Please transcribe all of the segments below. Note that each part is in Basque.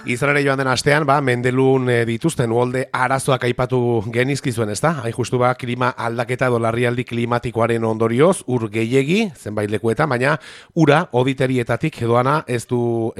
Izan ere joan den astean, Mendelun dituzten uholde arazoak aipatu genizkizuen, ezta? Hain justu klima aldaketa edo larrialdi klimatikoaren ondorioz, ur gehiegi, zenbait lekuetan, baina ura hoditerietatik doana ez du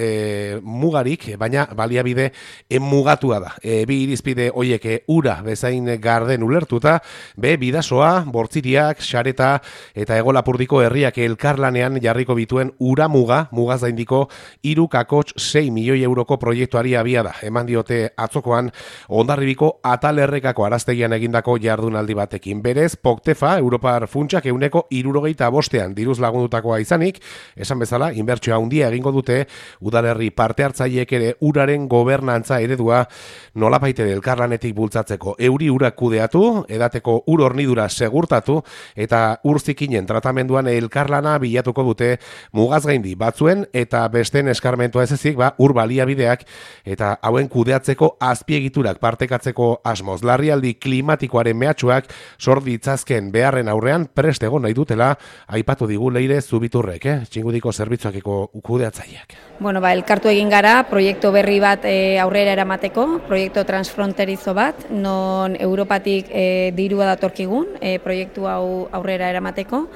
mugarik, baina baliabide mugatua da. Bi irizpide hoiek ura bezain garden ulertuta, bidasoa, bortziriak, xareta eta Hego-Lapurdiko herriak elkarlanean jarriko bituen ura mugaz gaindiko 3,6 milioi euroko proiektuari abia da. Eman diote atzokoan Hondarribiko Atalerrekako araztegian egindako jardunaldi batekin. Berez, Poktefa, Europar funtsak 75 diruz lagundutakoa izanik, esan bezala, inbertsioa handia egingo dute, udalerri parte hartzaileek ere uraren gobernantza eredua nolabait ere elkarlanetik bultzatzeko. Euri urak kudeatu, edateko ur hornidura segurtatu, eta ur zikinen tratamenduan elkarlana bilatuko dute mugaz gaindi batzuen, eta besteen eskarmentua ez ezik, ur baliabideak eta hauen kudeatzeko azpiegiturak partekatzeko asmoz. Larrialdi klimatikoaren mehatxuak sor ditzazken beharren aurrean prest egon nahi dutela aipatu digu Leire Zubiturrek, Txingudiko zerbitzuakeko kudeatzaileak. Bueno, elkartu egin gara proiektu berri bat aurrera eramateko, proiektu transfronterizo bat, non Europatik dirua datorkigun proiektu hau aurrera eramateko.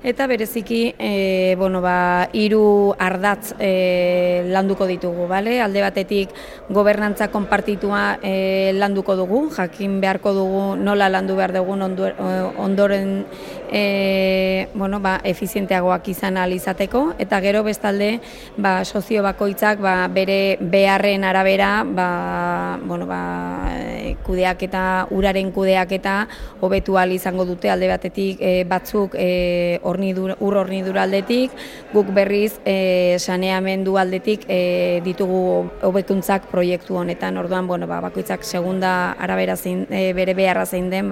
Eta bereziki, 3 ardatz landuko ditugu, bale? Alde batetik gobernantza konpartitua landuko dugu, jakin beharko dugu nola landu behar dugun ondoren efizienteagoak izan ahal izateko, eta gero bestalde sozio bakoitzak bere beharren arabera kudeaketa, uraren kudeaketa hobetu ahal izango dute. Alde batetik batzuk ur hornidura aldetik, guk berriz saneamendu aldetik ditugu hobekuntzak proiektu honetan. Orduan, bakoitzak segunda arabera bere beharra zein den,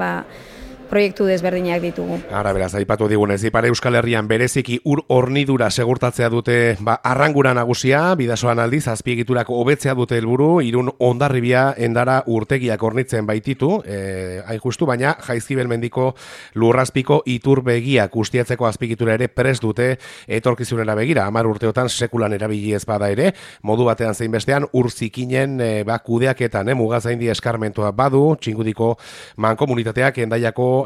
proiektu desberdinak ditugu. Beraz, aipatu digunez, Ipar Euskal Herrian bereziki ur hornidura segurtatzea dute arrangura nagusia, bidasoan aldiz, azpiegiturak hobetzea dute helburu, Irun Hondarribia Endara urtegiak hornitzen baititu, hain justu, baina Jaizkibel mendiko lurrazpiko iturbegiak ustiatzeko azpiegitura ere prest dute etorkizunera begira. 10 urteotan sekulan erabili ez bada ere, modu batean zein bestean ur zikinen kudeaketan mugaz gaindi eskarmentua badu, Txingudiko mankomunitateak Hendaiako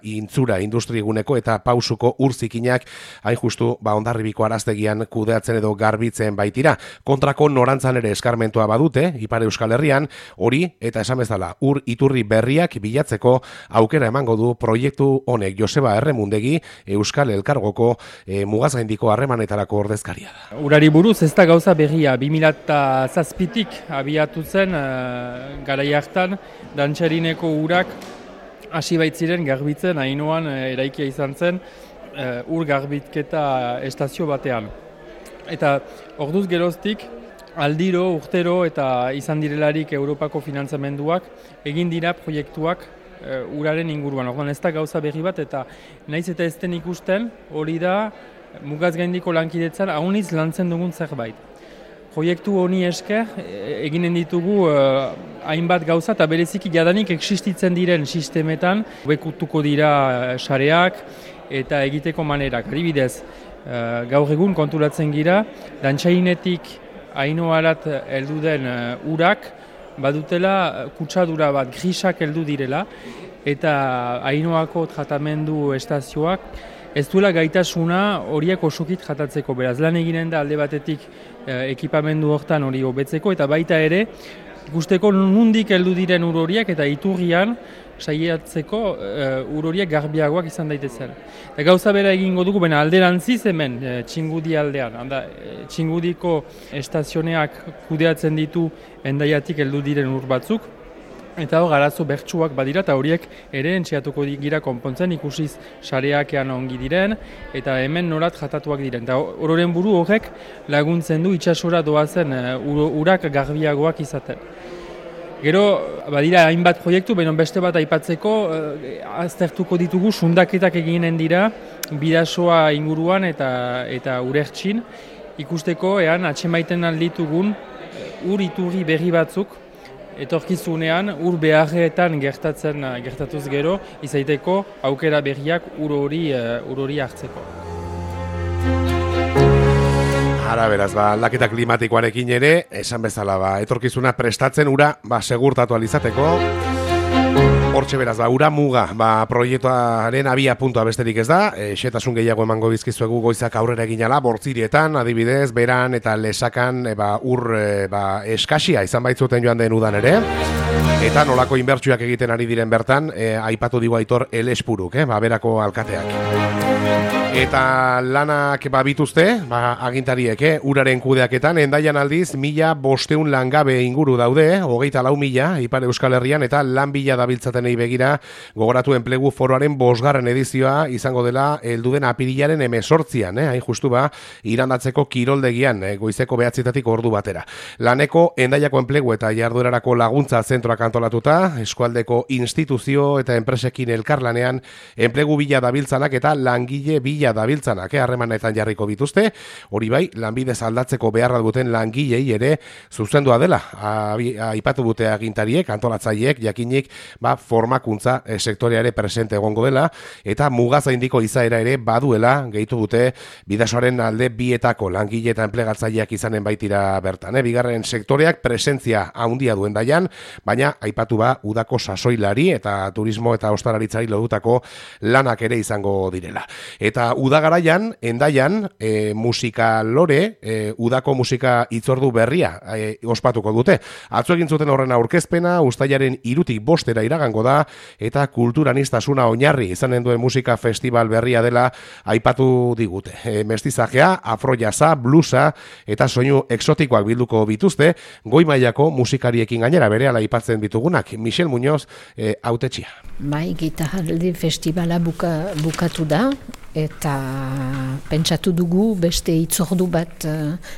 intzura industriguneko eta pausuko urzikinak hain justu Hondarribiko araztegian kudeatzen edo garbitzen baitira. Kontrako norantzan ere eskarmentua badute Ipar Euskal Herrian, hori eta esan bezala ur iturri berriak bilatzeko aukera emango du proiektu honek. Joseba Erremundegi Euskal Elkargoko mugaz gaindiko harremanetarako ordezkaria da. Urari buruz ez da gauza berria, 2007tik abiatu zen garai hartan Dantxarineko urak hasi baitziren garbitzen, Ainoan eraikia izan zen ur garbitketa estazio batean. Eta orduz geroztik aldiro, urtero eta izan direlarik Europako finantzamenduak egin dira proiektuak uraren inguruan. Orduan ez da gauza berri bat eta naiz eta ez den ikusten hori da mugaz gaindiko lankidetzan hauniz lantzen dugun zerbait. Proiektu honi esker eginen ditugu hainbat gauza eta bereziki jadanik existitzen diren sistemetan hobekutuko dira sareak eta egiteko manerak. Adibidez, gaur egun konturatzen gira, Dantxainetik Ainoarat heldu den urak badutela kutsadura bat grisak heldu direla eta Ainoako tratamendu estazioak ez duela gaitasuna horiek osukit jatatzeko. Beraz, lan eginen da alde batetik ekipamendu hortan hori hobetzeko eta baita ere ikusteko nundik heldu diren ur horiek eta iturrian saiatzeko ur horiek garbiagoak izan daitezen. Eta gauza bera egingo dugu, baina alderantziz hemen Txingudi aldean. Txingudiko estazioneak kudeatzen ditu Hendaiatik heldu diren ur batzuk. Eta hor, arazo bertsuak badira, eta horiek ere entxeatuko gira konpontzen, ikusiz sareakean ongi diren, eta hemen norat jatatuak diren. Eta ororen buru horrek laguntzen du itsasora doazen urak garbiagoak izaten. Gero, badira hainbat proiektu, baina beste bat aipatzeko, aztertuko ditugu sundaketak eginen dira, bidasoa inguruan eta urertxin, ikusteko atxemaiten alditugun ur iturri berri batzuk, etorkizunean ur beharretan gertatuz gero, izaiteko aukera berriak ur hori hartzeko. Ara beraz, aldaketa klimatikoarekin ere, esan bezala, etorkizuna prestatzen ura, segurtatu alizateko. Hortxe beraz, ura muga, proiektuaren abia puntua besterik ez da, xetasun gehiago emango bizkizuegu goizak aurrera eginala, bortzirietan, adibidez, beran eta lesakan ur eskasia izan baitzuten joan den udan ere, eta nolako inbertsuak egiten ari diren bertan, aipatu digu Aitor Elespuruk, berako alkateak. Eta lanak bituzte, agintariek, uraren kudeaketan, Hendaian aldiz, 1.500 langabe inguru daude, 24.000 Ipar Euskal Herrian, eta lan bila dabiltzatenei begira, gogoratu enplegu foroaren 5. edizioa izango dela helduden apirilaren 18an, hain justu irandatzeko kiroldegian, goizeko 9 ordu batera. Laneko Hendaiako enplegu eta jarduerarako laguntza zentroak antolatuta, eskualdeko instituzio eta enpresekin elkarlanean, enplegu bila dabiltzanak eta langile bila dabiltzanak harremanetan jarriko bituzte, hori bai, lanbidez aldatzeko beharra duten langilei ere zuzendua dela. Aipatu dute agintariek, antolatzaileek, jakinik formakuntza sektoreare presente egongo dela, eta mugazaindiko izaera ere baduela, gehitu dute bidasoaren alde bietako langile eta enplegatzaileak izanen baitira bertan. Bigarren sektoreak presentzia handia duen daian, baina aipatu udako sasoilari eta turismo eta ostalaritzari lodutako lanak ere izango direla. Eta udagaraian, Hendaian, musika lore, udako musika itzordu berria ospatuko dute. Atzo egin zuten horren aurkezpena, uztailaren 3 - 5 iragango da, eta kulturanistasuna oinarri izanen duen musika festival berria dela aipatu digute. Mestizajea, afrojaza, bluesa eta soinu exotikoak bilduko bituzte, goi mailako musikariekin gainera berehala aipatzen ditugunak. Michel Muñoz, hautetxia. Bai, gitarraldi festivala bukatu da, eta pentsatu dugu beste itzordu bat,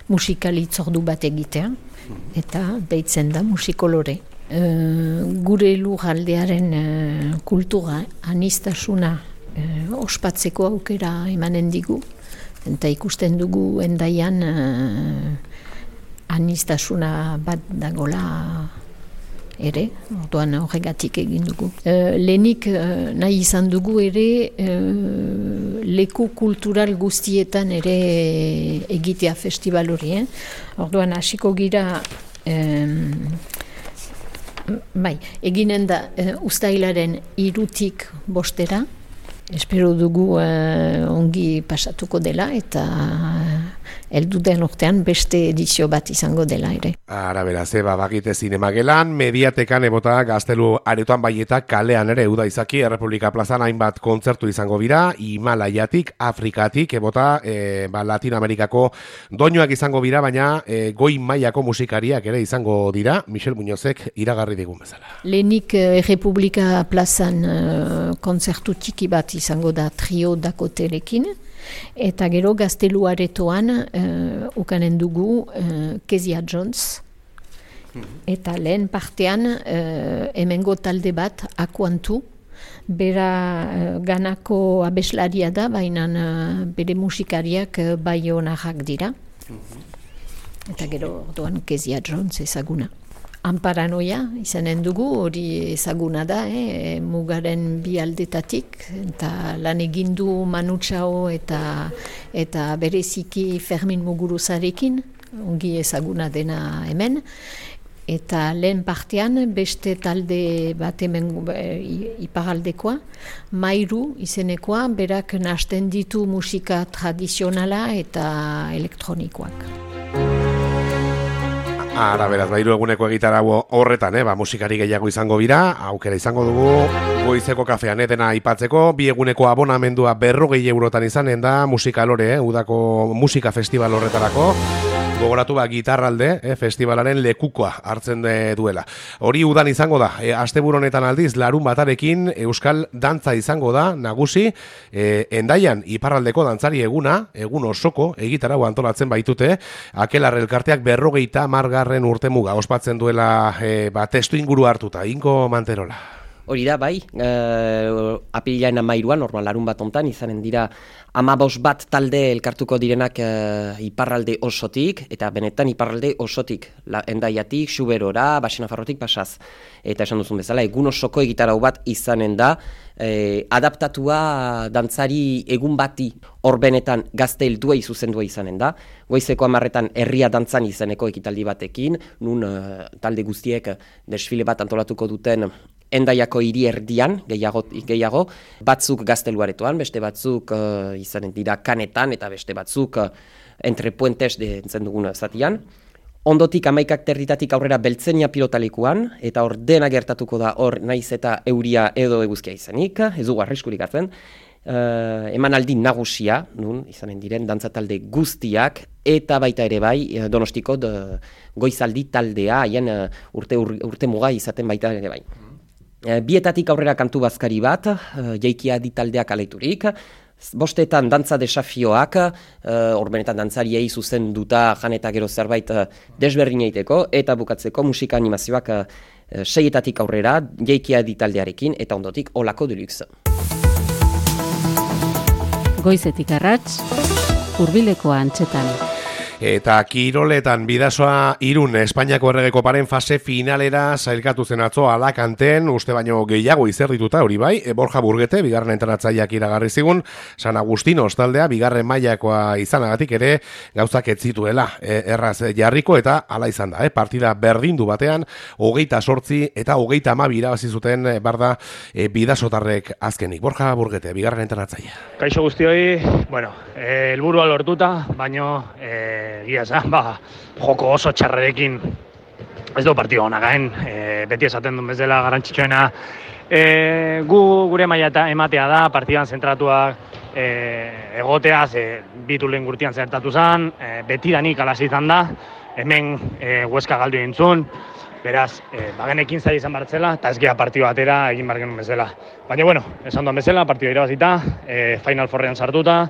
musikal itzordu bat egitea, eta deitzen da musikolore. Gure lurraldearen kultura anistasuna ospatzeko aukera emanen digu, eta ikusten dugu Hendaian anistasuna bat dagola ere, orduan horregatik egin dugu. Lehenik nahi izan dugu ere leku kultural guztietan ere egitea festival hori. Orduan hasiko gira eginen da uztailaren 3 - 5, espero dugu ongi pasatuko dela eta helduden urtean beste edizio bat izango dela ere. Ara beraz, bagite zinemagelan, mediatekan ebota gaztelu aretoan baieta kalean ere uda izaki, Errepublika plazan hainbat kontzertu izango bira, Himalaiatik, Afrikatik, ebota Latinoamerikako doinuak izango bira, baina goi mailako musikariak ere izango dira, Michel Muñozek iragarri digun bezala. Lehenik Errepublika plazan kontzertu txiki bat izango da trio dakotelekin, eta gero gaztelu aretoan ukanen dugu Kezia Jones, eta lehen partean hemengo talde bat Akuantu, bera ganako abeslaria da, baina bere musikariak baionarrak dira, eta gero orduan Kezia Jones ezaguna. Anparanoia izanen dugu, hori ezaguna da, mugaren bi aldetatik, eta lan egindu Manu Chao eta bereziki Fermin Muguruzarekin, ongi ezaguna dena hemen, eta lehen partean beste talde bat hemen iparaldekoa, Mairu izenekoa, berak nahasten ditu musika tradizionala eta elektronikoak. Ara beraz, 3 eguneko egitarau horretan, musikari gehiago izango bira, aukera izango dugu, goizeko kafean dena aipatzeko, 2 eguneko abonamendua 40 eurotan izanen da, musikalore, udako musika festival horretarako, gogoratu gitarralde, festivalaren lekukoa hartzen duela. Hori udan izango da, asteburu honetan aldiz, larun batarekin euskal dantza izango da, nagusi, Hendaian iparraldeko dantzari eguna, egun osoko, egitarau antolatzen baitute, Akelarre elkarteak 50. urtemuga ospatzen duela testu inguru hartuta, Inko Manterola. Hori da, bai, apirilaren 13 normal larun bat ontan, izanen dira 15 bat talde elkartuko direnak iparralde osotik, eta benetan iparralde osotik, Hendaiatik, Xuberora, Baxenafarrotik pasaz. Eta esan duzun bezala, egun osoko egitarau bat izanen da, adaptatua dantzari egun bati hor benetan gazte helduei zuzendua izanen da. Goizeko 10 herria dantzan izeneko ekitaldi batekin, nun talde guztiek desfile bat antolatuko duten Hendaiako hiri erdian, gehiago, batzuk gazteluaretoan, beste batzuk izanen dira kanetan, eta beste batzuk entre puentes dentzen dugun zatian. Ondotik 11:00 aurrera Beltzenia pilotalekuan, eta hor dena gertatuko da hor naiz eta euria edo eguzkia izanik, ez dugu arriskurik hartzen. Emanaldi nagusia, nun izanen diren dantzatalde guztiak, eta baita ere bai Donostiko goizaldi taldea, haien urte muga izaten baita ere bai. Bietatik aurrera kantu bazkari bat, jaikia ditaldeak aleiturik, 5 dantza desafioak, horbenetan dantzariei zuzenduta jan eta gero zerbait desberdin egiteko, eta bukatzeko musika animazioak 6 aurrera, jaikia ditaldearekin, eta ondotik Olako Deluxe. Goizetik arrats, hurbileko antzetan. Eta kiroletan Bidasoa Irun Espainiako Errege Koparen fase finalera sailkatu zen atzo Alakanten, uste baino gehiago izerdituta hori bai, Borja Burgete, bigarren entrenatzaileak iragarri zigun, San Agustino taldea, bigarren mailakoa izanagatik ere gauzak ez zituela erraz jarriko, eta hala izan da, partida berdindu batean, 28 eta 30 irabazi zuten barda bidasotarrek azkenik. Borja Burgete, bigarren entrenatzailea. Kaixo guztioi, bueno, helburua lortuta, baino egia esan, joko oso txarrerekin ez du partidu ona gain, beti esaten duen bezala garrantzitsuena gure maila ematea da, partidan zentratuak egotea, bitulen gurtian zertatu zen, betidanik alaz izan da, hemen Hueska galdu entzun, beraz, bagenekin zai izan bartzela, eta ez gea partidu batera egin bargenun bezala. Baina, bueno, esan duen bezala, partidu irabazita, Final Fourrean sartuta,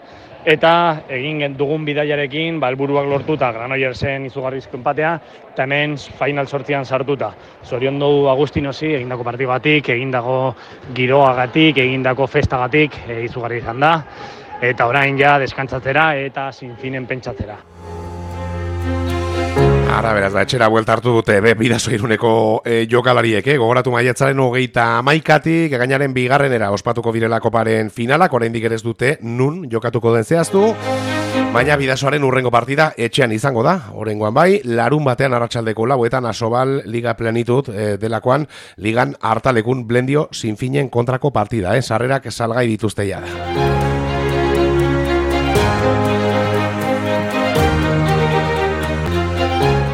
eta egin dugun bidaiarekin helburuak lortuta Granoillersen izugarrizko enpatea, eta hemen Final 8an sartuta. Zorion dugu Agustinosi egindako partigatik, egindako giroagatik, egindako festagatik izugarri izan da, eta orain ja deskantzatzera eta sinfinen pentsatzera. Ara, beraz, da, etxera buelta hartu dute, Bidaso Iruneko jokalariek, gogoratu maiatzaren 31-tik, gainaren bigarrenera ospatuko direla koparen finalak, oraindik ere ez dute nun jokatuko den zehaztu, baina Bidasoaren urrengo partida etxean izango da, oraingoan bai, larun batean arratsaldeko 4etan Asobal Liga Plenitud delakoan, ligan hartalekun Blendio Sinfinen kontrako partida, sarrerak salgai dituzte jada.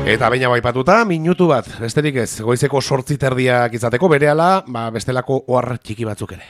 Eta baina baipatuta, minutu bat, besterik ez, goizeko 8:30 izateko berehala, bestelako ohar txiki batzuk ere.